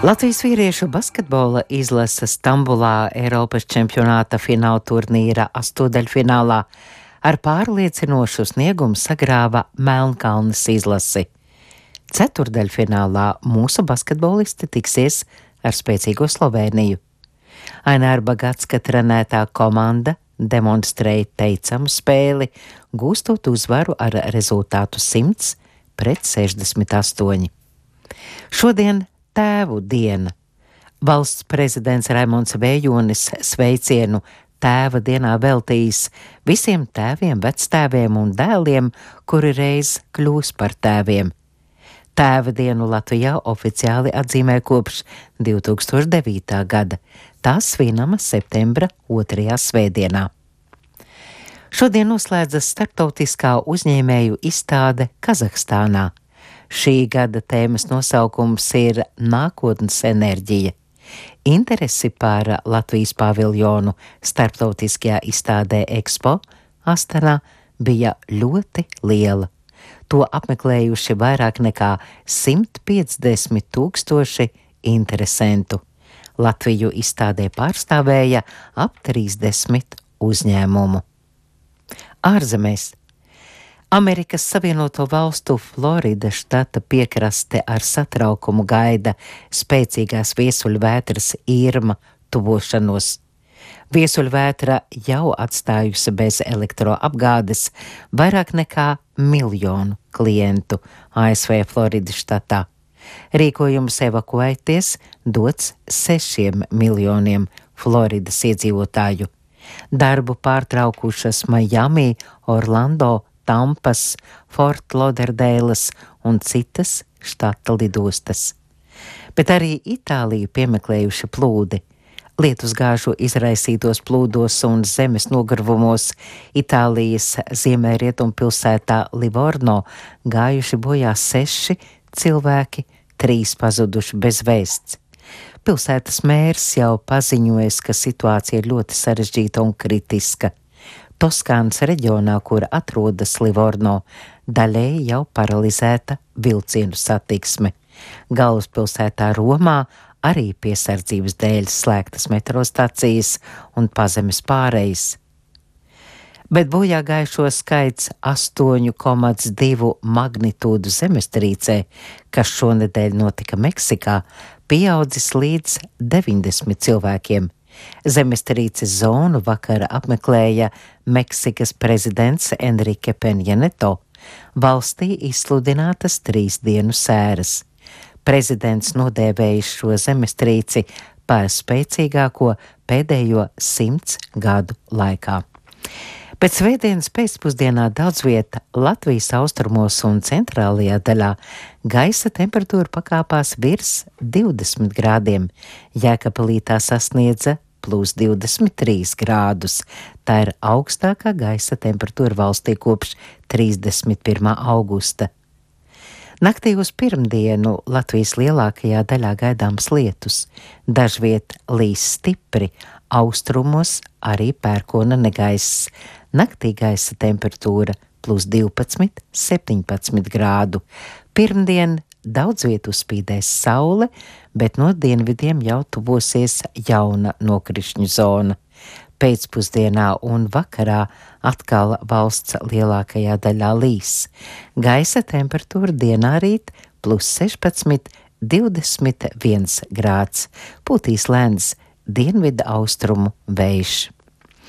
Latvijas vīriešu basketbola izlase Stambulā Eiropas čempionāta fināla turnīra astoņdaļfinālā ar pārliecinošu sniegumu sagrāva Melnkalnes izlasi. Ceturdaļfinālā mūsu basketbolisti tiksies ar spēcīgo Slovēniju. Aināra Bagatska trenētā komanda demonstrēja teicamu spēli, gūstot uzvaru ar rezultātu 100-68. Šodien Tēvu diena. Valsts prezidents Raimonds Vējonis sveicienu Tēva dienā veltījis visiem tēviem, vectēviem un dēliem, kuri reiz kļūs par tēviem. Tēva dienu Latvijā oficiāli atzīmē kopš 2009. gada. Tā svinama septembra 2. svētdienā. Šodien noslēdzas starptautiskā uzņēmēju izstāde Kazahstānā. Šī gada tēmas nosaukums ir Nākotnes enerģija. Interesi par Latvijas paviljonu starptautiskajā izstādē Expo Astanā bija ļoti liela. To apmeklējuši vairāk nekā 150,000 interesentu. Latviju izstādē pārstāvēja ap 30 uzņēmumu. Ārzemēs. Amerikas Savienoto Valstu Floridas štata piekraste ar satraukumu gaida spēcīgās viesuļvētras Irma tuvošanos. Viesuļvētra jau atstājusi bez elektroapgādes vairāk nekā 1 miljonu klientu ASV Floridas štatā. Rīkojums evakuēties dots 6 miljoniem Floridas iedzīvotāju. Darbu pārtraukušas Miami, Orlando, Tampas, Fort Lauderdeilas un citas štata lidostas. Bet arī Itāliju piemeklējuši plūdi. Lietusgāžu izraisītos plūdos un zemes nogurvumos Itālijas ziemeļrietumpilsētā Livorno gājuši bojā 6 cilvēki, 3 pazuduši bez vēsts. Pilsētas mērs jau paziņojas, ka situācija ir ļoti sarežģīta un kritiska. Toskānas reģionā, kur atrodas Livorno, daļēji jau paralizēta vilcienu satiksme. Galvaspilsētā Romā arī piesardzības dēļ slēgtas metrostacijas un pazemes pārejas. Bet bojāgājušo skaits 8,2 magnitūdu zemestrīcē, kas šonedēļ notika Meksikā, pieaudzis līdz 90 cilvēkiem. Zemestrīces zonu vakara apmeklēja Meksikas prezidents Enrique Peña Nieto. Valstī izsludinātas 3 dienu sēras. Prezidents nodēvējis šo zemestrīci par spēcīgāko pēdējo 100 gadu laikā. Pēc svētdienas pēcpusdienā daudz vieta Latvijas austrumos un centrālajā daļā gaisa temperatūra pakāpās virs 20 grādiem. Jēkabpilī tā sasniedza +23 grādus. Tā ir augstākā gaisa temperatūra valstī kopš 31. augusta. Naktī uz pirmdienu Latvijas lielākajā daļā gaidāms lietus. Dažviet līs stipri, austrumos arī pērkona negaiss. Naktī gaisa temperatūra +12, 17 grādu. Pirmdien daudz vietu spīdēs saule, bet no dienvidiem jau tuvosies jauna nokrišņu zona. Pēcpusdienā un vakarā atkal valsts lielākajā daļā līs. Gaisa temperatūra dienā rīt +16, 21 grāds. Pūtīs lēns dienvidu austrumu vējš.